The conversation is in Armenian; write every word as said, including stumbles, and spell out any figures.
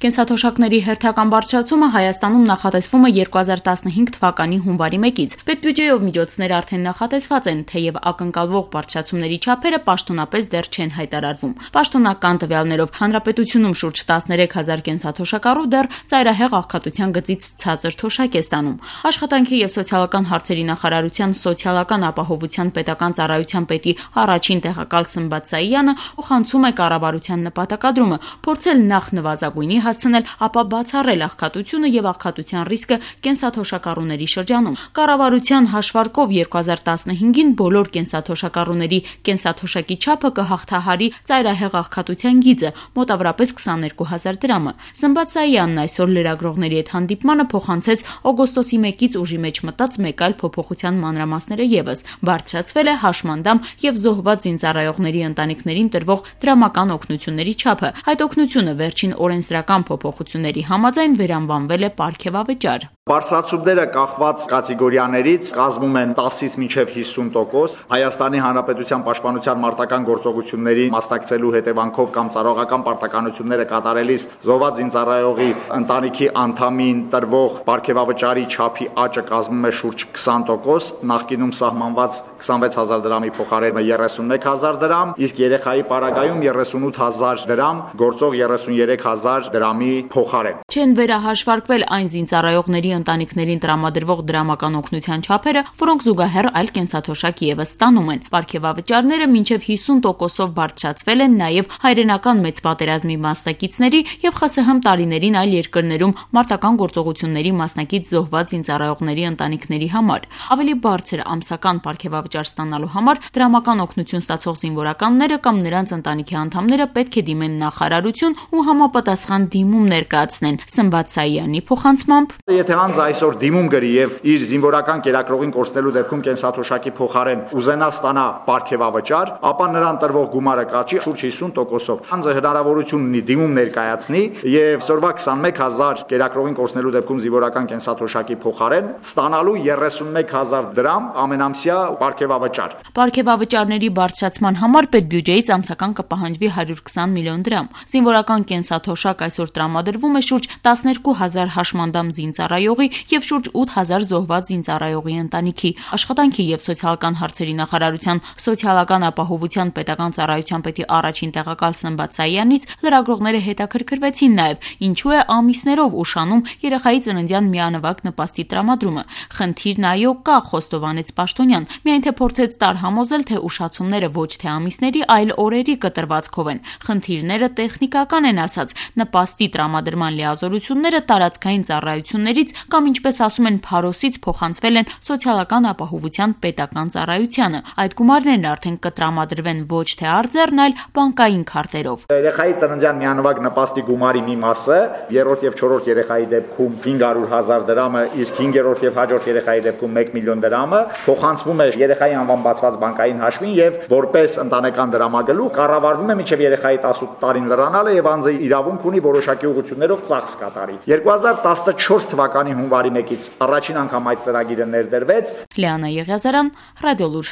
Կենսաթոշակների հերթական բարձրացումը Հայաստանում նախատեսվում է երկու հազար տասնհինգ թվականի հունվարի մեկից։ Պետբյուջեով միջոցներ արդեն նախատեսված են, թեև ակնկալվող բարձրացումների չափերը պաշտոնապես դեռ չեն հայտարարվում։ Պաշտոնական տվյալներով հանրապետությունում շուրջ տասներեք հազար կենսաթոշակառու դեռ ծայրահեղ աղքատության գծից ցածր թոշակ է ստանում։ Աշխատանքի և սոցիալական հարցերի նախարարության սոցիալական ապահովության պետական ծառայության պետի առաջին տեղակալ Սմբատ Սայյանը ուղղացում է կառավարության նպատակադրումը փորձել նախ նվազագույնի հասցնել, ապա բացառել աղքատությունը եւ աղքատության ռիսկը կենսաթոշակառուների շրջանում։ Կառավարության հաշվարկով երկու հազար տասնհինգին բոլոր կենսաթոշակառուների կենսաթոշակի չափը կհաղթահարի ծայրահեղ աղքատության գիծը՝ մոտավորապես քսաներկու հազար դրամը։ Սմբատ Սայյանն այսօր լրագրողների հետ հանդիպմանը փոխանցեց օգոստոսի մեկից ուժի մեջ մտած մեկ այլ փոփոխության մանրամասները ևս։ Բարձրացվել է հաշմանդամ եւ զոհված զինծառայողների ընտանիքներին տրվող դրամական օգնությունների չափը։ Այդ օգնությունը վերջին օրենսդրական փոփոխությունների համաձայն վերանվանվել է պարգևավճար։ Բարձրացումները կախված կատեգորիաներից կազմում են տասից մինչև հիսուն տոկոս։ Հայաստանի Հանրապետության պաշտպանության մարտական գործողությունների մասնակցելու հետևանքով կամ ծառայողական պարտականությունները կատարելիս զոհված զինծառայողի ընտանիքի անդամին տրվող պարգևավճարի չափի աճը կազմում է շուրջ քսան տոկոս, նախկինում սահմանված քսանվեց հազար դրամի փոխարեն երեսունմեկ հազար դրամ, իսկ երեխայի պարագայում երեսունութ հազար դրամ, գործող երեսունյերեք հազար դրամի փոխարեն։ Չեն վերահաշվարկվել այն զինծառայողների ընտանիքներին տրամադրվող դրամական օգնության չափերը, որոնք զուգահեռ այլ կենսաթոշակ ևս ստանում են։ Պարգևավճարները մինչև հիսուն տոկոսով բարձրացվել են նաև հայրենական մեծ պատերազմի մասնակիցների եւ ԽՍՀՄ տարիներին այլ երկրներում մարտական գործողությունների մասնակից զոհված զինծառայողների ընտանիքների համար։ Ավելի բարձր ամսական պարգևավճար ստանալու համար դրամական օգնություն ստացող զինվորականները կամ նրանց ընտանիքի անդամները պետք է դիմեն նախարարություն ու համապատասխան դիմում ներկայացնեն։ Սմբատ Սայյանի փոխանցմամբ, եթե անձ այսօր դիմում գրի եւ իր զինվորական կերակրողին կորցնելու դեպքում կենսաթոշակի փոխարեն ուզենա ստանա պարգևավճար, ապա նրան տրվող գումարը կաճի շուրջ հիսուն տոկոսով։ Անձը հնարավորություն ունի դիմում ներկայացնի եւ այսօրվա քսանմեկ հազար կերակրողին կորցնելու դեպքում զինվորական կենսաթոշակի փոխարեն ստանալու երեսունմեկ հազար դրամ ամենամսյա պարգևավճար։ Պարգևավճարների բարձրացման համար պետբյուջեից ամսական կպահանջվի հարյուր քսան միլիոն դրամ։ Զինվորական կենսաթոշակ այսօր տրամադրվում է շուրջ տասներկու հազար հաշմանդամ զինծառայողի եւ շուրջ ութ հազար զոհված զինծառայողի ընտանիքի։ Աշխատանքի եւ սոցիալական հարցերի նախարարության սոցիալական ապահովության պետական ծառայության պետի առաջին տեղակալ Սմբատ Սայյանից լրագրողները հետաքրքրվեցին նաեւ ինչու է ամիսներով ուշանում երեխայի ծննդյան միանվագ նպաստի տրամադրումը։ Խնդիրն այո կա, խոստովանեց պաշտոնյան, միայն թե փորձեց տարհամոզել, թե ուշացումները ոչ թե ամիսների, այլ օրերի կտրվածքով են։ Խնդիրները տեխնիկական են ասած, նպաստի տրամադրման լիազորությունները տարածքային ծառայություններից կամ ինչպես ասում են Փարոսից փոխանցվել են սոցիալական ապահովության պետական ծառայությանը։ Այդ գումարներն արդեն կտրամադրվեն ոչ թե արձեռն, այլ բանկային քարտերով։ Երեխայի ծննդյան միանվագ նպաստի գումարի մի մասը երրորդ եւ չորրորդ երեխայի դեպքում հինգ հարյուր հազար դրամը, իսկ հինգերորդ եւ հաջորդ երեխայի դեպքում մեկ միլիոն դրամը փոխանցվում է երեխայի անվան բացված բանկային հաշվին եւ որպես ընտանեկան դրամագլուխ կառավարվում է մինչեւ երեխայի տասութ տարին լրանալը եւ անձը իրավունք ունի որոշակի ուղղություններով ծախս կատարի։ երկու հազար տասնչորս թվականի հունվարի մեկից առաջին անգամ այդ ծրագիրը ներդրվեց։ Լիանա Եղիազարյան, Ռադիոլուր։